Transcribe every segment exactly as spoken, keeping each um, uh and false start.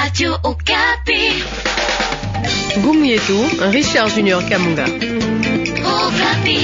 Radio Okapi. Ngumu yetu Richard Junior Kamunga. Okapi.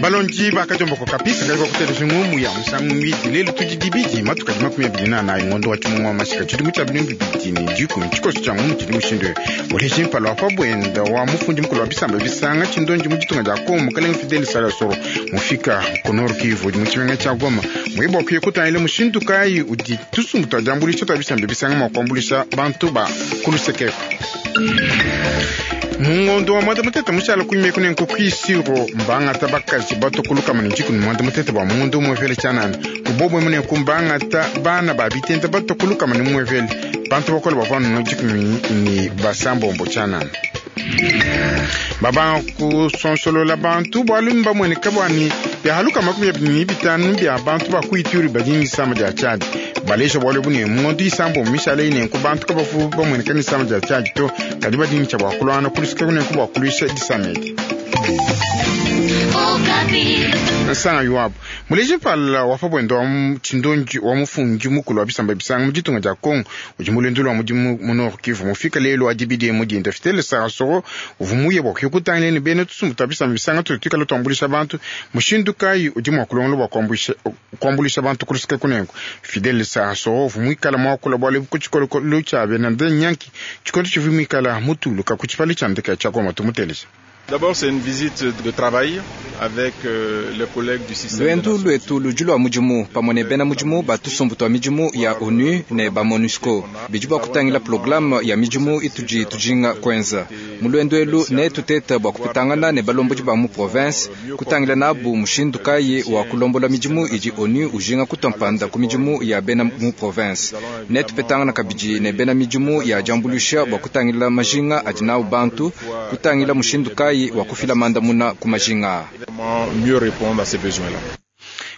Balonji bakajomboko kapisa kali kwakutelesha ng'omu ya musangu mbidi lelo tudi matuka di makumi abidi na anayi ngondo wa tshimungu wa mashika tshidimu tshia binu bibidi ne dikumi tshikoso tshia ng'omu tshidi mushindu uleje mpala wa pabwenda wa mufundi mukulu wa bisamba bisanga tshindonji mu ditunga dia Kongo mukalenge Fidel Salasoro mufika ku Nord Kivu mu tshimenga tshia Goma muye bua kuya kutangila mushindu kayi udi tusumbu tua diambulisha tua bisamba bisanga mua kuambulisha bantu ba kulusekeko mungondo wa mwanda mutete mushala kuimeko nenko kwisiro mbangata bakaji batokuluka ne dikumi mwanda mutete bwa mungondo umwevele tshanana kubobwe munenku mbangata bana ba bitenda batokuluka ne mwevele bantu bakola bavua no dikumi ni basambombo tshanana babanga kusonsolola bantu bwalu mbamweneka bwani byahaluka makumi abili ni bitanu bya bantu bakuituri badi nisamba dia Tchad balesha bwalu bune mungondo isambo mishala inenku bantu kabafu bamweneka nisamba dia Tchad to kadi badi ncha bwa kulwana kulusika kunenku bwa kulusha disamedi Okapi. nsanga yuabu muleje pala wafa bwendo wa tshindonji wa mufundi mukulu wa bisamba bisanga mu ditunga dia Kongo udi mulwendu lwa mudimu mu Nord Kivu mufika lelo adibidi mudinda Fidel Sarasoro uvu muye bua kuya kutangila ne bena tusumbu tua bisamba bisanga tudi tuikala tuambulisha bantu mushindu kayi udi mua kulongola bua kuambulisha kuambulisha bantu kulusika kunenku Fidel Sarasoro uvu muikala muakula bualu ebu ku tshikolokolo tshia bena nyanki tshikondo tshivu muikala mutuluka ku tshipale tshia ndeke tshia Goma tumuteleja. D'abord, c'est une visite de travail avec euh, les collègues du système. Lwendu lwetu ludi lwa mudimu pamwe ne bena mudimu batusumbu twa midimu ya ONU ne ba MONUSCO bidi bua kutangila programme ya midimu itudi tujinga kwenza mu lwendu elu ne tuteta bua kupitangana ne balombodi ba mu province kutangila nabu mushindu kayi wa kulombola midimu idi ONU ujinga kutompanda ku midimu ya bena mu province ne tupetangana kabidi ne bena midimu ya diambulusha bua kutangila majinga adi nawu bantu kutangila mushindu kayi wa kufila mandamuna ku majinga. Comment mieux répondre à ces besoins-là.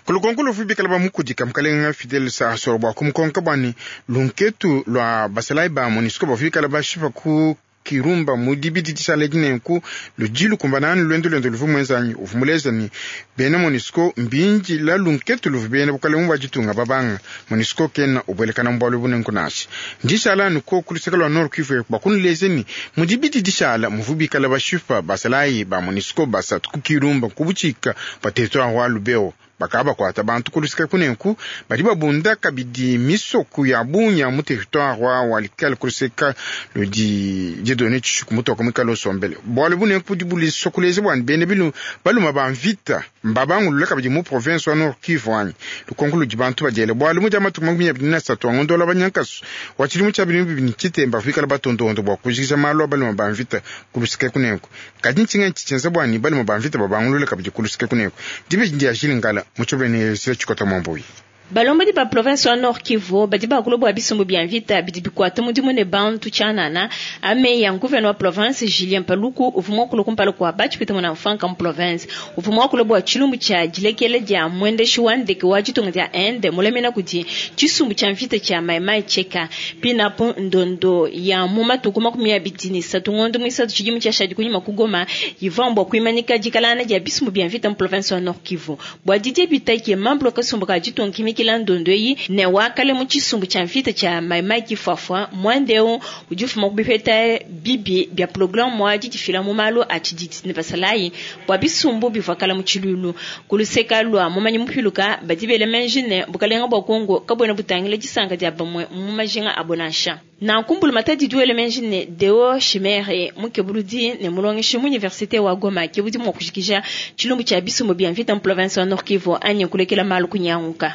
Kulukonko lufu bikala bamukudika mukalenga Fidel Sarasoro bua kumukonka bwani lunketu lwa basalayi ba MONUSCO bafu bikala bashipa ku kirumba mu dibidi dishala dinenku ludi lukumbanani lwendu lwendo luvu mwenzanyi uvu muleza ni bena MONUSCO mbinji la lunketu luvu bena bukalenge bua ditunga babanga MONUSCO kena ubwelekana mubwalu bunenku nashi ndishala nuko kuluseka lwa Nord Kivu bakunuleze ni mu dibidi dishala muvu bikala bashipa basalayi ba MONUSCO basatu ku kirumba kubuchika pa territoire wa Lubero bakaba bakwata bantu kulusika kunenku badi babunda kabidi misoku ya bunya mu territoire wa walikala kulusika ludi didone tshishuku mutoka mwikala osombele bwalu bunenku budi bulisokuleze bwani bene bilu baluma ba mvita mbabangulula kabidi mu province wa Nord Kivu anyi lukonko ludi bantu badiele bwalu mudi amatuku makumi abidi na satu angondola banyankasu wa tshidimu tshia binu bibini tshitemba kuikala batondondo bua kujikija malu a baluma ba mvita kulusika kunenku kadi ntshinga ntshienza bwani baluma ba mvita babangulula kabidi kulusika kunenku dibe dia jilingala muchobene sile tshikota mwamboyi Balombodi ba province wa Nord Kivu badi bakulu bua bisumbu bia mvita bidi bikwata mudimu ne bantu tshianana ame ya gouverneur wa province Julien Paluku uvua muakula kumpala kua batshipita muna mfanka mu province uvua muakula bua tshilumbu tshia dilekela dia mwendeshi wa ndeke wa ditunga dia Inde mulemena kudi tshisumbu tshia mvita tshia Maimai Cheka pinapo ndondo ya mu matuku makumi abidi ne satu ngondo muisatu tshidimu tshiashadi kunyima ku Goma ivua mbua kuimanika dikalana dia bisumbu bia mvita mu province wa Nord Kivu bua Didier Bitaki membre kasumbu ka ditunga kimiki kila ndondo eyi ne wakale mu tshisumbu tshia mvita tshia maimai kifwafwa mwandeu udi ufuma kubipeta bibi bia programme wa didifila mu malu a tshididi ne basalayi bua bisumbu bivua kala mu tshilulu kuluseka lua mumanyi mupiluka badi bela menji ne bukalenga bua Kongo kabuena butangila disanka dia bamue mu majinga abo nansha nankumbulu matadi duele menji ne Deo Shimere mukebuludi ne mulongeshi mu université wa Goma ke budi mua kujikija tshilumbu tshia bisumbu bia mvita mu province wa Nord Kivu anyi kulekela malu kunyanguka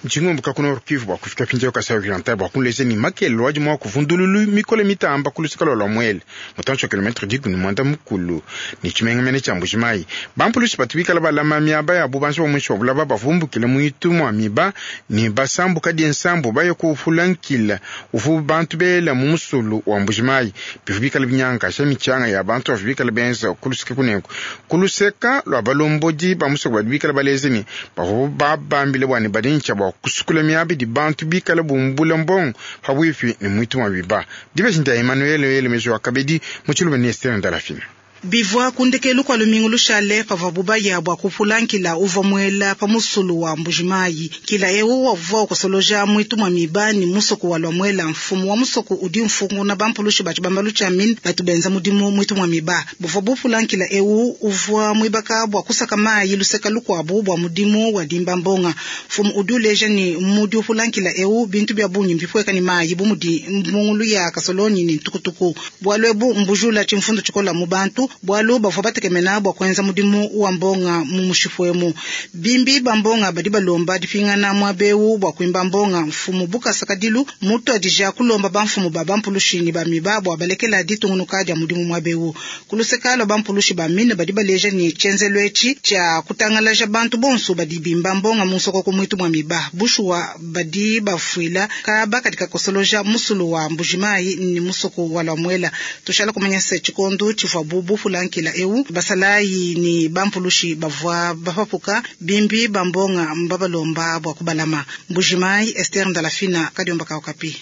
ntshingombuka ku Nord Kivu bua kufika pinjeo Kasai Oriental bua kunleza ni makelo adi mua kuvundululu mikole mitamba kulusika lua lua muele mutantshi wa kilometre dikumi ne muanda mukulu ne tshimengamene tshia Mbujimayi bampulushi batu bikala balama miaba ya bubanji bua muinshi wa bulaba bavumbukile muitu mua miba ne basambuka die nsambu baye kufulankila uvu bantu bela mu musulu wa Mbujimayi bivu bikala binyankasha mitshanga ya bantu bavu bikala benza kulusika kunenku kuluseka lua balombodi ba musoko badi bikala baleze ni bavu babambile bwani badi ntshia bua bua kusukula miaba idi bantu bikala bumbula mbongo pabuipi ne mwitu wa biba. Dibeji ndia Emmanuel Elemejo wa kabedi mu tshiluba ne Esther Ndalafina. Bivua kundekelu kwa lumingu lushale pavua bubaya bua kupula nkila uvua muela pa musulu wa Mbujimayi. Nkila eu wavua ukosoloja mwitu mwa miba ni musoku wa Lwamwela. Mfumu wa musoku udi mfunguna bampulushi ba tshibambalu tshia mine batu benza mudimu mwitu mwa miba. Buvua bupula nkila eu uvua muibaka bua kusaka mayi luseka lukuabu bua mudimu wa dimba mbonga. Mfumu udi uleja ni mudi upula nkila eu bintu bia bungi mbipweka ni mayi bu mudi mbungulu ya kasoloni ni ntukutuku. Bualu ebu mbujula tshimfundu tshikola mu bantu bualu bavua batekemena bua kuenza mudimu wa mbonga mu mushifuemu. Bimbi ba mbonga badi balomba dipingana muabeu bua kuimba mbonga. Mfumu Bukasa Kadilu mutu adija kulomba bamfumu ba bampulushi ni ba miba bua balekela ditungunuka dia mudimu muabeu. Kuluseka lwa bampulushi ba mine badi baleja ni tshenzelo etshi tshia kutangalaja bantu bonso badi bimba mbonga mu nsokoko mwitu mwa miba. Bushuwa badi bafuila kaba katika kosoloja musulu wa Mbujimayi ni musoko wa Lwamwela. Tushala kumanya se tshikondo tshivua bubu lankila eu basalayi ni bampulushi bavua bapapuka bimbi bambonga mbabalomba bua kubalama. Mbujimayi, Esther Ndalafina, Kadiomba ka Okapi.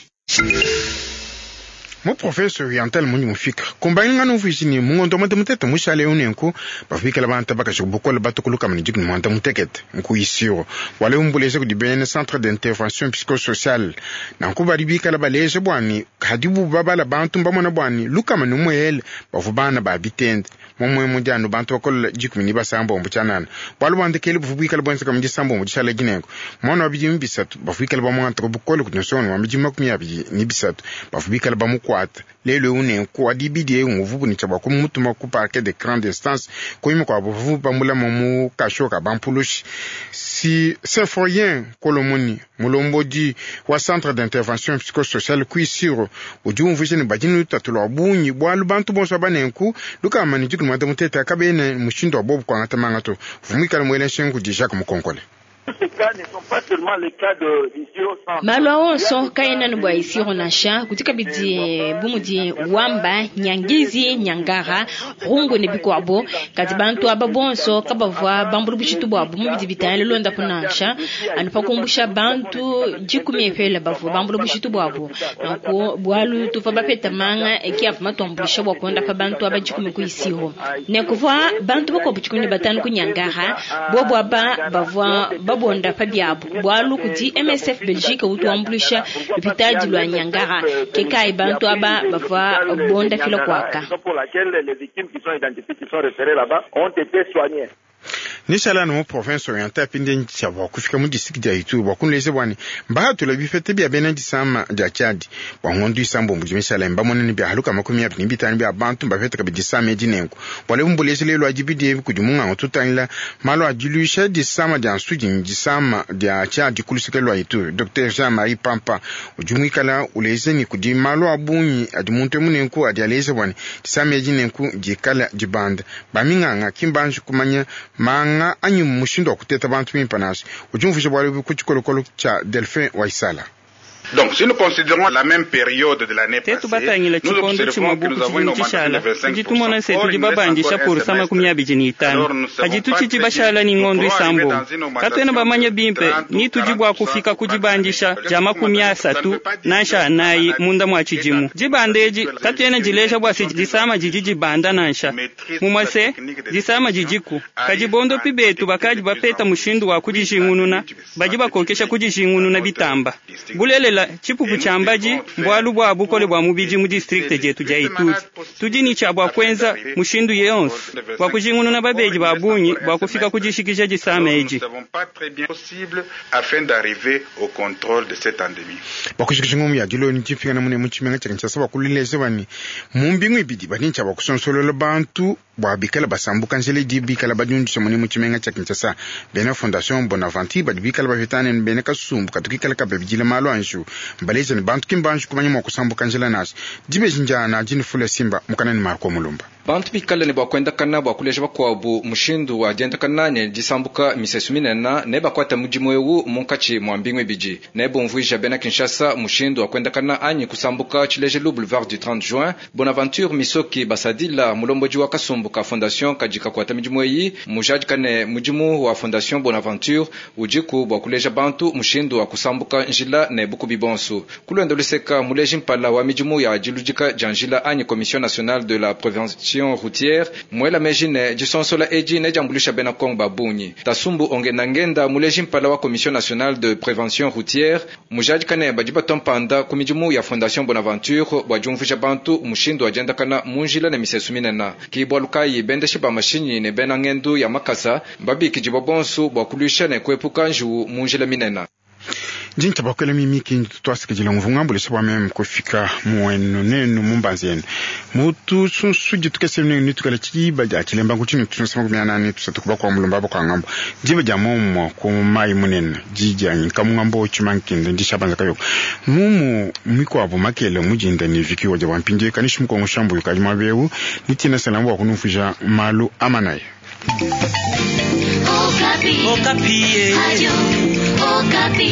Mu professeur oriental muni mufika kumbainga nuvuisi ni mungondo mwanda mutete mushale unenku bafikela bantu bakashi bukola batukuluka mani jikuni mwanda mutekete nkuisiro wale umbuleze kudi bene centre d'intervention psychosociale nanku badi bikala baleje bwani hadibu babala bantu mbamona bwani lukama numwele bavu bana ba bitende momwe mudiano bantu bakola jikumi ni basambombo tshanana bwalu bwandekele buvu bwikala bwenzeka mu disambombo dishala dinengo mwana wa bidimu bisatu bavu bikala bamwantaka bukola kudi nsonga wa bidimu makumi abidi ni bisatu bavu bikala bamukwata lelo unenku adibidi nguvu ni chaba kumutuma ku parquet de grande instance koyima kwa bavu bamulama mu kasho ka bampulushi si Symphorien Kolomoni mulombodi wa centre d'intervention psychosociale kuisiro udi umvuija ne badinu lutatu lwa bungi bwalu bantu bonso abanenku lukama ni dikulu mwanda mutete akabene mushindu wa bobu kwangata mangato vumwikala mwele nshengu di Jacques Mukonkole. Malu onso kaena ne bua isiro nansha kuti kabidi bumudi wamba nyangizi nyangara rungu ne bikuabo kadi bantu aba bonso kabavua bambulu bushitu bwabo mubidi bitangila londapo nansha anu pakumbusha bantu dikumi epela bavua bambulu bushitu bwabo nanku bualu tuvua bapeta manga eki ava matuambulisha bua kuondapa bantu aba dikumi ku isiro ne kuvua bantu bakuabu dikumi ne batanu ku nyangara bobo aba bavua babonda pa biabu bualu kudi M S F Belgique utuambulisha lupitadi lwa Nyangara kekai bantu aba bavua bonda fila kwaka. Nishala mu province orientale pinde ntsha kufika mu district ya Ituri bwa kunleze bwani mbahatula bifete bya bena disama dia Chad bwa ngondu isambo mu mishala mbamone ni bya haluka makumi abiri ni bitanu bya bantu mbafete kabidi disama edinengo bwale mbuleze lelo ajibidi kudi munga tutangila malo ajilusha disama dia nsudi disama dia Chad kulusekelo Ituri Docteur Jean-Marie Pampa ujumwikala uleze ni kudi malo abunyi adi muntu munenku adi aleze bwani disama edinenku dikala dibanda baminganga kimbanji kumanya manga anyi mushindo wa kuteta bantu mimpa nasi ujumvusha bwale ku tshikolokolo tsha Delphin Waisala. Donc, si nous considérons la même période de l'année passée, nous observons que nous avons une augmentation de vingt-cinq pour cent. Or, il nous reste encore un semestre. Alors, nous ne savons pas très bien. Nous pourrons arriver dans une augmentation de trente ou quarante pour cent nansha nayi munda mwa tshidimu dibanda edi katuena dileja bua se disama didi dibanda nansha mumase disama didiku kadi bondopi betu bakadi bapeta mushindu wa kudijingununa badi bakokesha kudijingununa bitamba bulelela tshipupu tshia mbadi mbwalu bua bukole bua mubidi mu district dietu dia Ituri tudi ni tshia bua kuenza mushindu yonso bua kujingununa babedi ba bungi bua kufika kudishikija disama edi afin d'arriver au contrôle de cette endémie. Bakushikisha ngomu ya dilo nti mune mu tshimenga tshia Kinshasa bakulileze bani mu mbingu ibidi badi ntshia bakusonsolola bantu bua bikala basambuka nzela idi bikala badiundisha mune mu tshimenga tshia Kinshasa bena fondation Bonaventure badi bikala bapetane ne bena kasumbu katukikala kababidila malu anju mbaleza ne bantu kimbanju kumanya mua kusambuka nzela nasi dibeji njana dini fula simba mukanani Marco Mulumba. Bantu bikale ne bua kuendakana bua kuleja bakuabu mushindu wa diendakana ne disambuka misesu minene ne bakuata mudimu eu munkatshi mua mbingu ibidi. Ne bumvuija bena Kinshasa mushindu wa kuendakana anyi kusambuka tshilejelu boulevard du trente juin. Bonaventure Misoki Basadila mulombodi wa kasumbu ka fondation kadi kakuata midimu eyi mujadika ne mudimu wa fondation Bonaventure udiku bua kuleja bantu mushindu wa kusambuka njila ne bukubi bonso. Kulwendo luseka muleji mpala wa midimu ya diludika dia njila anyi commission nationale de la prévention routière mwela meji ne disonsola edi ne diambulisha bena Kongo babungi. Tasumbu ongenda ngenda muleji mpala wa commission nationale de prévention routière mujadika ne badi batompanda ku midimu ya fondation Bonaventure bua diumvuija bantu mushindu wa diendakana mu njila ne misesu minene. Ki bualu kayi bendeshe ba mashinyi ne bena ngendu ya makasa babikidibwa bonso bua kuluisha ne kuepuka njiwu mu njila minene. Jinta bakwela mimiki twasikijila mvungambulisa bwa meme kufika muenu nenu mumbanzi yenu mutu sunsu jitukese nenu nitukala chiba ja chilemba kuchinu tunsema kumyana tusatu kuba kwa mulumba kwa ngambo jiba ja momo ku mai munene jija nkamungambo chimankinde ndishabanza kayo mumu mikwabo makele mujinda ni vikiwa ja wampinje kanishi mkongo shambu kajima bewu nitina salamu wa kunufuja malu amanaye. Okapi. Okapi. Radio Okapi.